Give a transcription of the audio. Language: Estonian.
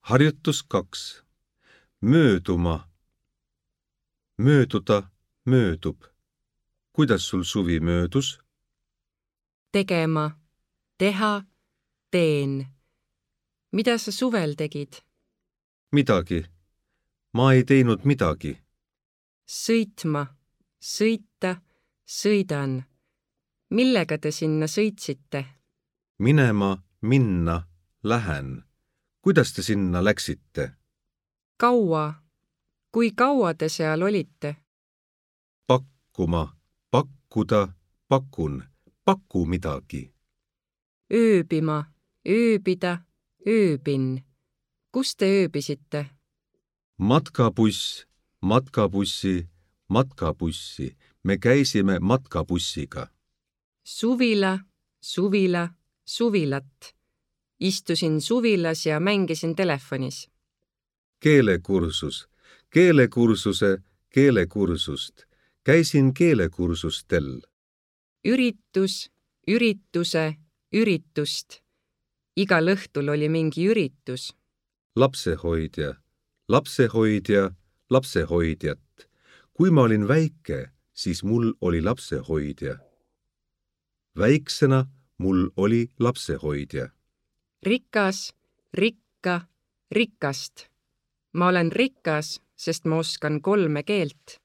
Harjutus 2. Mööduma. Mööduda, möödub. Kuidas sul suvi möödus? Tegema, teha, teen. Mida sa suvel tegid? Midagi. Ma ei teinud midagi. Sõitma, sõita, sõidan. Millega te sinna sõitsite? Minema, minna, lähen. Kuidas te sinna läksite? Kaua? Kui kaua te seal olite? Pakkuma, pakkuda, pakun. Paku midagi. Ööbima, ööbida, ööbin. Kus te ööbisite? Matkabuss, matkabussi, matkabussi. Me käisime matkabussiga. Suvila, suvila, suvilat. Istusin suvilas ja mängisin telefonis. Keelekursus, keelekursuse, keelekursust. Käisin keelekursustel. Üritus, ürituse, üritust. Igal õhtul oli mingi üritus. Lapsehoidja, lapsehoidja, lapsehoidjat. Kui ma olin väike, siis mul oli lapsehoidja. Väiksena mul oli lapsehoidja. Rikas, rikka, rikast. Ma olen rikas, sest ma oskan 3 keelt.